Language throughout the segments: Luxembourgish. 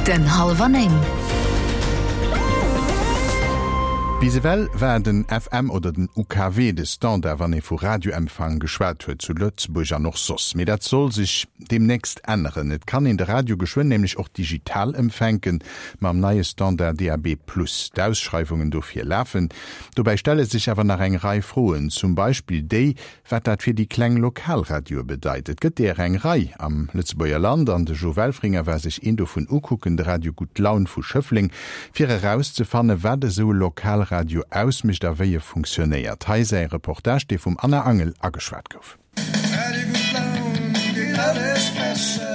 Den hallwer 9. Bis ewell war den FM oder den UKW de Standard, wann ee vu Radioempfang geschwat huet, zu Lëtzebuerg an och soss. Mee dat soll sech deemnächst änneren. Et kann een de Radio geschwënn nämlech och digital empfänken, mam neie Standard DAB+. D'Ausschreiwungen dofir lafen. Dobäi stelle sech awer nach eng Rei Froen, zum Beispill déi, Wat dat fir déi kleng Lokalradioe bedeit? Et gëtt deeër eng Rei am Lëtzebuerger Land an de Jo Welfringer war sech een dovun ukucken, de Radio Gutt Laun vu Schëffleng, fir erauszefanne wat esou e Lokalradio ausmécht a wéi e funktionéiert. Hei säi Reportage, dee vum Anna Angel ageschwat gouf.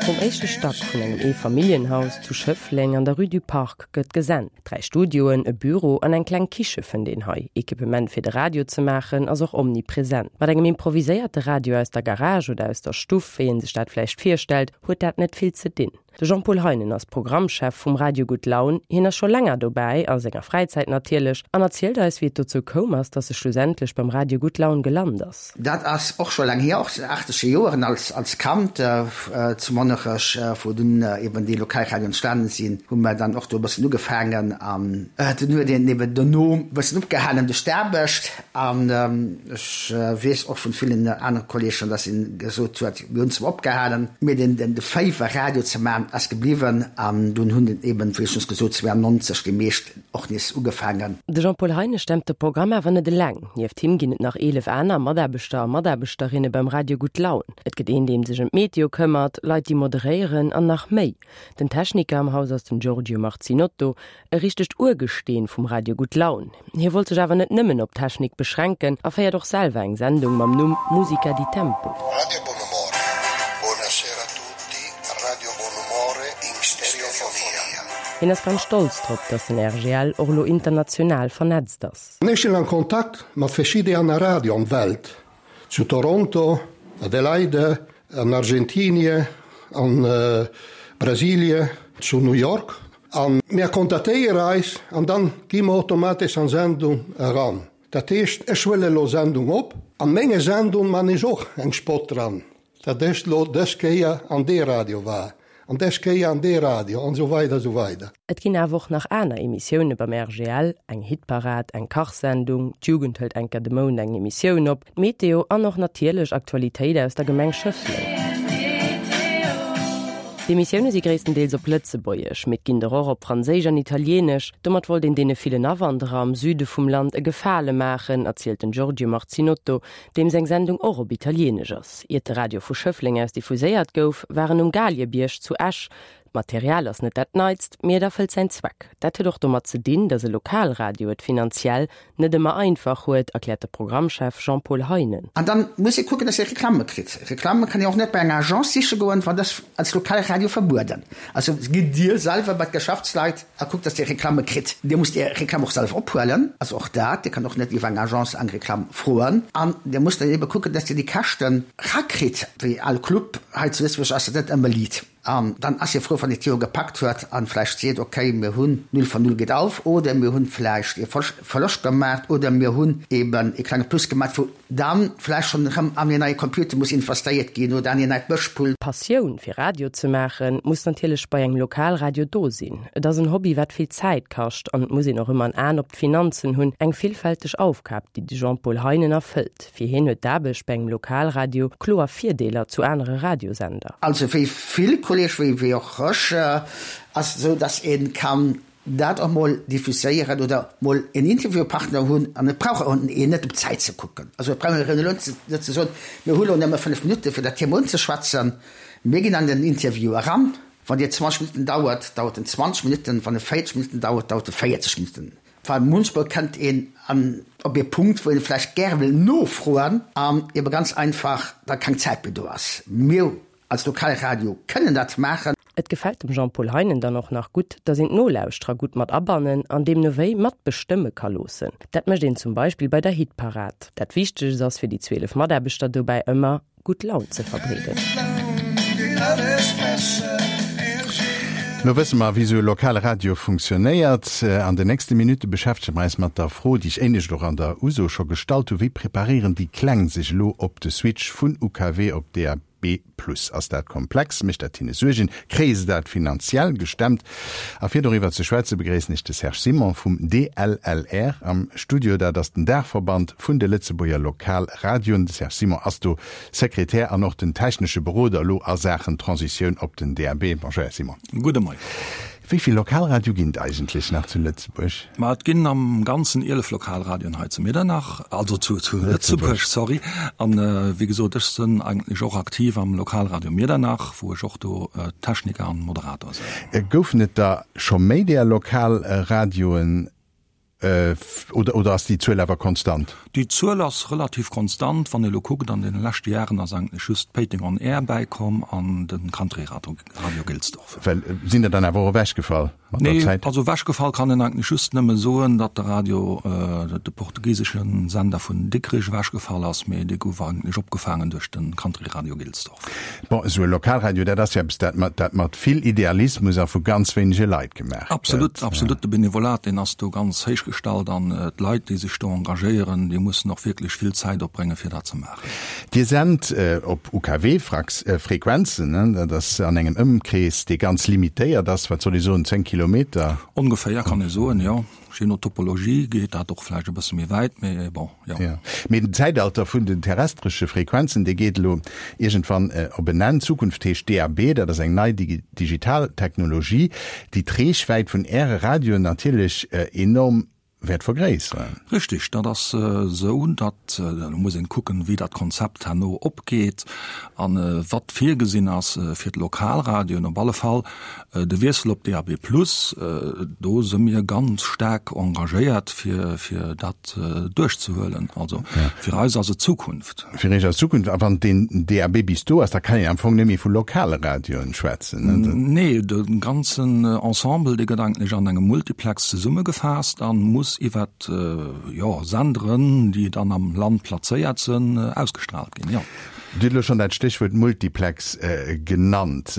Vum éischte Stack vun engem Eefamilljenhaus zu Schëffleng an der Rue du Parc gëtt gesent. 3 Studioen, e Büro an eng kleng Kiche fënnt een hei. Equipement fir de Radio ze maachen ass och omnipresent. Mat engem improviséierte Radio aus der Garage oder aus der Stuff, wéi een sech dat vläicht virstellt, huet dat net vill ze dinn. De Jean-Paul Heinen ass Programmchef vum Radio Gutt Laun. Hien ass scho länger dobäi, a senger Fräizäit natierlech, an erzielt eis, wéi et dozou koum ass, dass e schlussendlech beim Radio Gutt Laun gelant ass. Dat ass och scho laang hier, och an den achtzeger Joeren als als Kand zu Monnerech, wou dunn eben déi Lokalradio entstanen sinn, hu mer dann och do e bëssen ugefaangen an dunn huet een eben dono e bëssen opgehalen duerch d'Aarbecht an ech weess och vun villen anere Kolleegen, dass een gesot huet, mir hunn zwar opgehalen, mee den de Féiwer Radio ze maachen ass gebliwwen an dunn hunn eben, wéi schonns gesot, 92 déi meescht och nees ugefaangen. De Jean-Paul Heine stemmt de Programm awer net eleng. Nieft him ginn et nach 11 aner Mataarbechter a Mataarbechterinne beim Radio Gutt Laun. Et gëtt een, dee sech ëm d'Meteo këmmert, Leit, déi moderéieren an nach méi. Den Techniker am Haus ass den Giorgio Marzinotto, e richtegt Urgesteen vum Radio Gutt Laun. Hie wollt sech awer net nëmmen op d'Technik beschränken a féiert och selwer eng Sendung mam Numm Musica di Tempo. Radio Bonumore, Buonasera a tutti, Radio Bonumore in stereofonia. Hien ass ganz stolz drop, datt den RGL och elo international vernetzt ass. Ech sinn an Kontakt mat verschidde aner Radioen an Welt, zu Toronto, Adelaide, an Argentinie, an Brasilie, zu New York. An mär kontaktéiere eis an dann gi mer automatesch an Sendung eran. Dat heescht, ech huele lo Sendung op, an menge Sendung man ech och eng Spot dran. Dat ech lo dës Kéier an dee Radio war, an des Kéier an dee Radio, an esou weider, esou weider. Et ginn awer och nach aner Emissioune beim RGL, eng Hitparad, eng Kachsendung, d'Jugend hëlt enker de Mount eng Emissioun op, d'Meteo an och natierlech Aktualitéit aus der Gemeng Schëffleng. D'Emissioune si gréisstendeels op Lëtzebuergesch, mee et ginn der och op Franséisch an Italieenesch. Domat wollt een deene villen Awanderer am Süde vum Land e Gefale maachen, erzielt den Giorgio Marzinotto, deem seng Sendung och op Italieenesch ass. Iert de Radio vu Schëffleng aus diffuséiert gouf, war en um Galiebierg zu Esch. D'Material ass net dat neitst, mee et erfëllt säin Zweck. Dat huet och domat ze dinn, datt e Lokalradio et finanziell net ëmmer einfach huet, erkläert de Programmchef Jean-Paul Heinen. An dann muss ee kucken, datt ee Reklamme kritt. Reklamme kann een och net bei enger Agence siche goen, well dat ass als Lokalradio verbueden. Also gitt Dir selwer bei d'Geschäftsleit a kuckt, datt Dir Reklamme kritt. Dir musst Är Reklamm och selwer ophuelen, also och dat, Dir kënnt och net iwwer eng Agence eng Reklamm froen. An Dir musst dann ebe kucken, datt Dir déi Käschten rakritt. Wéi all Club hei zu Lëtzebuerg ass dat net ëmmer liit. An dann ass ee frou, wann ee d'Joer gepackt huet a vläicht seet, okay, mir hunn null von null geht auf oder mir hunn vläicht ee Verloscht gemaach oder mir hunn eeben ee klenge Plus gemaach, wou dann vläicht schonn erëm an een neie Computer muss investéiert ginn oder an een neit Mëschpult. D'Passioun fir Radio ze maachen, muss natierlech bei engem Lokalradio do sinn. Et ass en Hobby wat vill Zäit kascht an et muss een och ëmmer en Aen op d'Finanzen hunn. Eng villfälteg Aufgab, déi de Jean-Paul Heinen erfëllt. Fir hien huet d'Aarbecht bei engem Lokalradio kloer Virdeeler zu anere Radiosender. Also wéi vill Kolleege wéi och ech ass et esou, datt ee kann dat och mol diffuséieren oder mol en Interviewpartner hunn an et brauch een net op d'Zäit ze kucken. Also et brauch een elo net ze soen, mir hu lo nëmme 5 Minutte fir dat Thema unzeschwätzen, mir ginn an den Interview eran, wann dee 20 Minutten dauert, dauert en 20 Minutten, wann e 40 Minutten dauert, dauert e 40 Minutten. Well munchmol kënnt een an op ee Punkt, wou een vläicht gäre wëll nofroen an ebe ganz einfach da keng Zäit méi do ass. Mir Als Lokalradio kënnen dat maachen. Et gefält dem Jean-Paul Heinen dann och nach gutt, datt een d'Nolauschterer gutt mat abannen an deemno wéi matbestëmme ka loossen. Dat mécht een zum Beispill bei der Hitparad. Dat Wichtegst ass fir déi 12 Mataarbechter dobäi ëmmer, gutt Laun ze verbreeden. Lo wësse mer, wéi esou e lokale Radio funktionéiert. An den nächste Minutte beschäftege mer eis mat der Fro, déi ech éinescht och an der Uso scho gestallt hu, Wéi preparéieren déi Kleng sech elo op de Switch vun UKW op DAB? Plus. Ass dat komplex? Mécht dat hinne Suergen? Kréie se dat finanziell gestemmt? A fir doriwwer ze schwätze begréissen ech de Serge Simon vum DLLR am Studio. Dat ass den Daachverband vun de Lëtzebuerger Lokalradioen. De Serge Simon ass do Sekretär an och den technesche Beroder elo a Saachen Transitioun op den DAB. Bonjour Här Simon. Gudde Moien. Wéi vill Lokalradioe ginn et eigentlech nach zu Lëtzebuerg? Ma et ginn am Ganzen 11 Lokalradioen hei zu Miedernach, also zu Lëtzebuerg, sorry. An wéi gesot, ech sënn eigentlech och aktiv am Lokalradio Miedernach, wou ech och do Techniker an Moderator sënn. Goufen et der scho méi där Lokalradioen? Oder, oder ass déi Zuel awer konstant? Déi Zuel ass relativ konstant. Wann ee lo kuckt, an deene leschte Jaren ass eigentlech just Péiteng on Air bäikomm an de Country Radio, Radio Gilsdorf. Well, sinn der dann awer och ewechgefall mat der Zäit? Nee, also ewechgefall kann een eigentlech just nëmme soen, datt de Radio, de portugisesche Sender vun Dikrich ewechgefall ass, mee dee gouf eigentlech opgefaangen duerch de Country Radio Gilsdorf. Bon, esou e Lokalradio, dat ass jo eppes, dat mat, dat mat vill Idealismus a vu ganz wéinege Leit gemaach gëtt. Absolut, absolut. De Benevolat, deen ass do ganz héich gestallt an d'Leit, déi sech do engagéieren, déi mussen och wierklech vill Zäit opbréngen, fir dat ze maachen. Dir sent op UKW-Frequenzen, ne? Dat ass an engem Ëmkrees, dee ganz limitéiert ass, wat soll ee soen, 10 Kilometer? Ongeféier kann ee soen, jo. Je no Topologie geet dat och vläicht e bësse méi wäit, mee bon, jo. Jo, mee den Zäitalter vun den terrestresche Frequenzen, dee geet elo iergendwann op en Enn. D'Zukunft heescht DAB, dat ass eng nei digital Technologie, déi d'Reechwäit vun Äre Radioen natierlech enorm wäert vergréisseren. Richtig, dat ass esou, datt, elo muss een kucken, wéi dat Konzept herno opgeet a wat virgesinn ass fir d'Lokalradioen. Op alle Fall De Wiessel op DAB+, do si mir ganz staark engagéiert, fir fir dat duerchzehuelen. Also fir eis ass et Zukunft. Fir Iech ass et Zukunft. A wann deen DAB bis do ass, da kann een am Fong net méi vu lokale Radioen schwätzen, ne? Nee, de ganzen Ensemble, dee gëtt eigentlech an engem Multiplex zesummegefaasst a muss iwwert, jo, Senderen, déi dann am Land plazéiert sënn, ausgestraalt ginn, jo. Dir hutt elo schonn dat Stéchwuert Multiplex genannt.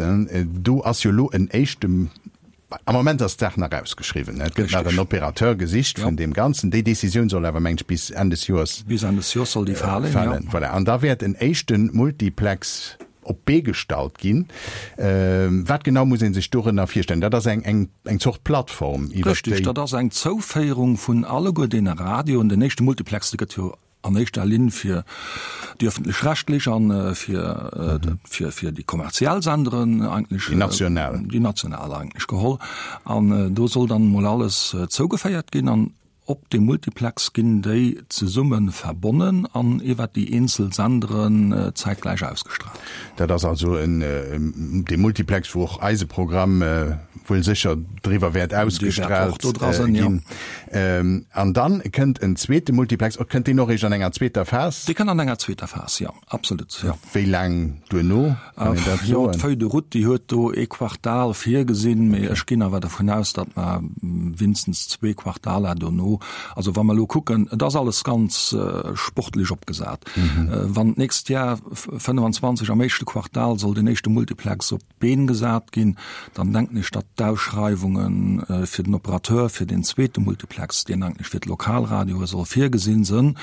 Do ass jo elo en éischte, am Moment ass d'Saach nach ausgeschriwwen, et gëtt nach en Opérateur gesicht vun deem Ganzen. Déi Décisioun soll awer, mengen ech, bis Enn des Joers Bis Enn des Joers soll déi falen, jo. Voilà. An da wäert en éischte Multiplex op d'Bee gestallt ginn. Wat genau muss ee sech dorënner virstellen? Dat ass eng, eng, eng Zort Plattform, iwwert déi. Richtig, dat ass eng Zouféierung vun alleguer deene Radioen. Den éischte Multiplex, dee gëtt jo an éischter Linn fir déi öffentlech-rechtlech an fir fir fir déi kommerziell Senderen eigentlech, déi national, déi national eigentlech geholl. An do soll dann emol alles zougeféiert ginn an op deem Multiplex ginn déi zesumme verbonnen an iwwert déi eenzel Senderen zäitgläich ausgestraalt. Dat ass also en dee Multiplex, wou och eise Programm wuel sécher driwwer wäert ausgestraalt ginn. An dann kënnt en zweete Multiplex, kënnt deen och eréischt an enger zweeter Phas? Dee kënnt an enger zweeter Phas, jo, absolut, jo. Wéi laang duerno, kann een dat soen? Jo, d'Feuille de route, déi huet do ee Quartal virgesinn, mee ech ginn awer dervun aus, datt mer winstens zwee Quartaler dono, also wa mer elo kucken, et ass alles ganz sportlech opgesat, wann d'nächst Jar 25 am éischte Quartal soll deen éischte Multiplex op Been gesat ginn, dann denken ech, datt d'Ausschreiwunge fir den Operateur fir deen zweete Multiplex, deen eigentlech fir d'Lokalradioe soll virgesinn sënn,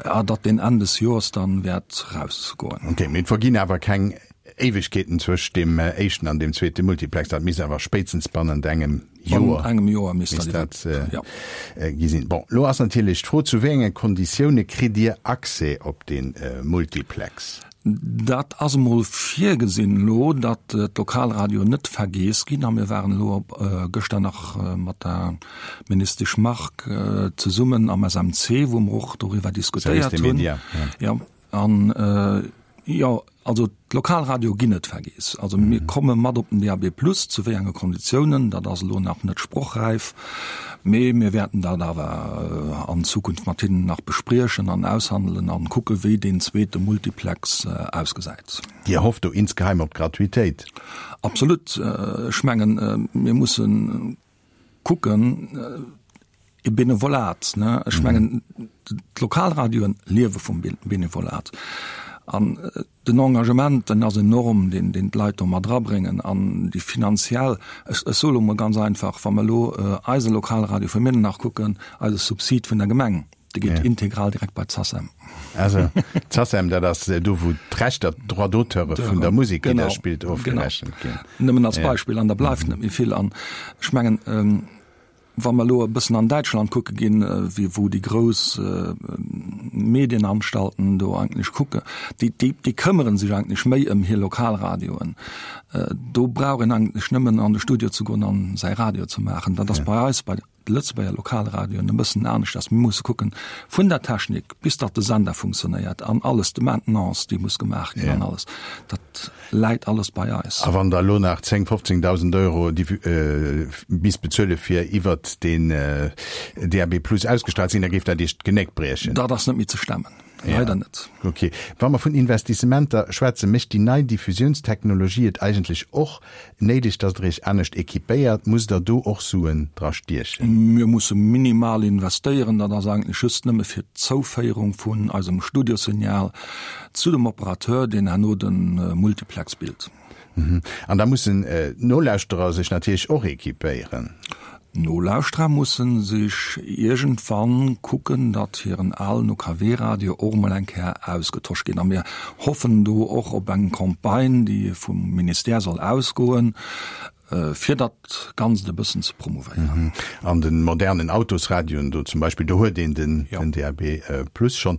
datt deen Enn des Joers dann wäert rausgoen. Okay, mee et verginn awer keng Éiwegkeeten zwëscht deem éischten an deem zweete Multiplex. Dat misst awer spéitstens bannent engem Joer, engem Joer misst dat gi sinn. Bon, elo ass natierlech d'Fro, Zu wéi enge Konditioune kritt Dir Accès op dee Multiplex? Dat ass emol virgesinn elo, datt d'Lokalradioen net vergeess ginn. A mir waren elo gëschter nach mat der Ministesch Margue zesummen am SMC, wou mer och doriwwer diskutéiert hunn. Jo, an jo, also d'Lokalradioe ginn net vergeess. Also mir komme mat op den DAB+, zu wéi enge Konditiounen, dat ass elo nach net sprochräif. Mee mir wäerten dat awer an Zukunft mat hinnen nach bespriechen an aushandelen an kucke wéi deen zweete Multiplex ausgesäit. Dir hofft do insgeheim op d'Gratuitéit? Absolut. Ech mengen, mir musse kucken, e Benevolat, ne? Ech mengen, d'Lokalradioen liewe vum Benevolat. An Den Engagement, den ass enorm, deen deen d'Leit do mat erabréngen an déi finanziell, ech ech soe lo mol ganz einfach, wa mer elo eise Lokalradio vu Miedernach kucken, eise Subsid vun der Gemeng. Dee geet integral direkt bei d'SACEM. Also d'SACEM, dat ass do wou d'Rechter, d'Droits d'auteure vun der Musek, déi Der spillt, ofgerechent ginn. Nëmmen als Beispill, an da bleift net méi vill. An ech mengen, wa mer elo e bëssen an Däitschland kucke ginn, wéi wou déi grouss Medienanstalten do eigentlech kucke, déi, déi, déi këmmere sech eigentlech méi ëm hir Lokalradioen. Do brauch een eigentlech nëmmen an de Studio ze goen an säi Radio ze maachen. Dat ass bei eis bei de Lëtzebuerger Lokalradioen e bëssen aneschters. Mir musse kucken, vun der Technik bis datt de Sender funktionéiert an alles, de Maintenance, déi muss gemaach ginn an alles, dat läit alles bei eis. A wann Der elo nach 10, 15.000 Euro misst bezuele fir iwwert den DAB Plus ausgestrahlt ze ginn, da géif dat Iech d'Genéck briechen? Dat ass net méi ze stemmen, leider net. Ok. Wa mer vun Investissementer schwätzen, mécht déi nei Diffusiounstechnologie et eigentlech och Néideg, dass der iech anescht équipéiert? Musst der do och Suen dra stiechen? Mir musse minimal investéieren. Dat ass eigentlech just nëmme fir d'Zouféierung vun eisem Studiosignal zu dem Operateur, deen herno de Multiplex bilt. An da mussen d'Nolauschterer sech natierlech och équipéieren. D'Nolauschterer mussen sech iergendwann kucken, datt hiren alen UKW-Radio och emol eng Kéier ausgetosch ginn. A mir hoffen do och op eng Campagne, déi vum Ministère soll ausgoen, fir dat Ganzt e bëssen ze promouvéieren. An de modernen Autosradioen do zum Beispill, do huet een den DAB Plus schonn.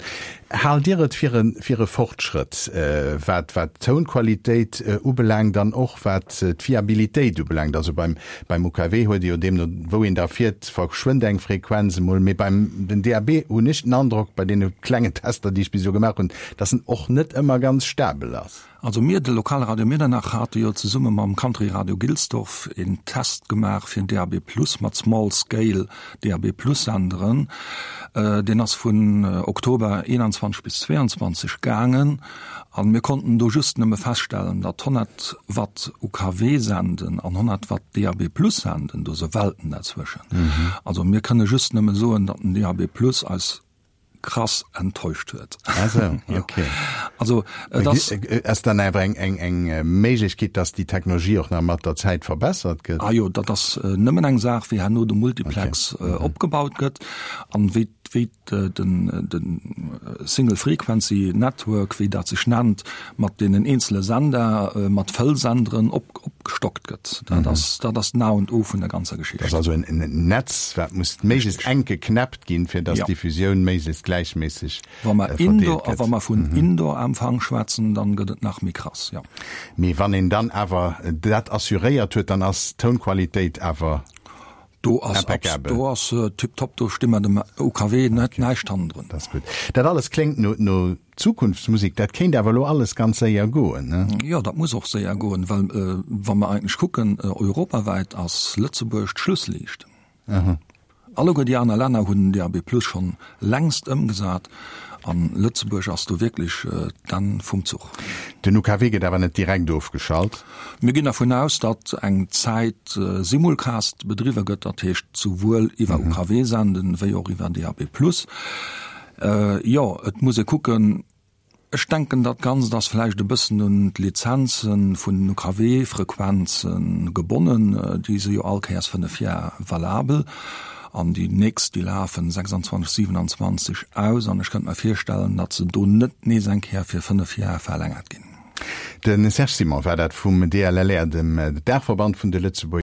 Haalt Dir et fir e Fortschrëtt, wat d'Tounqualitéit ubelaangt an och wat d'Fiabilitéit ubelaangt? Also beim Beim UKW huet ee jo deemno wou een da fiert, verschwënnt eng Frequenz emol, mee beim den DAB hunn ech den Androck, bei deene klengen Tester, déi ech bis elo gemaach hunn, dass en och net ëmmer ganz stabel ass. Also mir, de Lokalradio Miedernach, hate jo zesumme mam Country Radio Gilsdorf een Test gemaach fir DAB Plus mat Small Scale DAB Plus Senderen. Deen ass vun Oktober 21 bis 22 gaangen. An mir konnten do just nëmme feststellen, datt 100 Watt UKW senden an 100 Watt DAB Plus senden, do se Welten derzwëschen. Also mir kënne just nëmme soen, datt den DAB Plus eis krass enttäuscht huet. Ah sou, okay. Also et ass. Ass dann awer eng, eng, eng Méiglechkeet, datt déi Technologie och nach mat der Zäit verbessert gëtt? Ah jo, dat ass nëmmen eng Saach, wéi herno de Multiplex opgebaut gëtt an wéi, wéi den de Single Frequency Network, wéi dat sech nennt, mat deenen eenzele Sender, mat Fëllsenderen op, opgestockt gëtt. Dat ass, dat ass den A und O vun der ganzer Geschicht. Dat ass also en Netz, wat muss méiglechst enk geknäppt ginn, fir datt d'Diffusioun méiglechst gläichméisseg verdeelt gëtt. A wa mer vun Indoor-Empfang schwätzen, dann gëtt et nach méi krass, jo. Mee wann een dann awer dat assuréiert huet, dann ass d'Tounqualitéit awer Do ass Impeccabel. Do ass tiptop, do sti mer dem OKW net näischt hannendrun. Dat ass gutt. Dat alles kléngt no, no Zukunftsmusik. Dat kéint awer elo alles ganz séier goen, ne? Jo, dat muss och séier goen, well wa mer eigentlech kucken, europawäit ass Lëtzebuerg d'Schlussliicht. Alleguer déi aner Länner hunn DAB+ schonn längst ëmgesat an Lëtzebuerg ass do wierklech d'Enn vum Zuch. Den UKW gëtt awer net direkt ofgeschalt? Mir ginn dervun aus, datt eng Zäit Simulcast bedriwwe gëtt, dat heescht souwuel iwwer UKW senden, wéi och iwwer DAB+. Jo, et muss ee kucken, ech denken dat Ganzt ass vläicht e bëssen un d'Lizenze vun den UKW-Frequenze gebonnen, déi si jo all Kéiers 5 Jar valabel an déi nächst déi lafen 26, 27 aus an ech kënnt mer virstellen, datt se do net nees eng Kéier fir 5 Jar verlängert ginn. De Serge Simon war dat vum DLLR, dem Daachverband vun de Lëtzebuerger.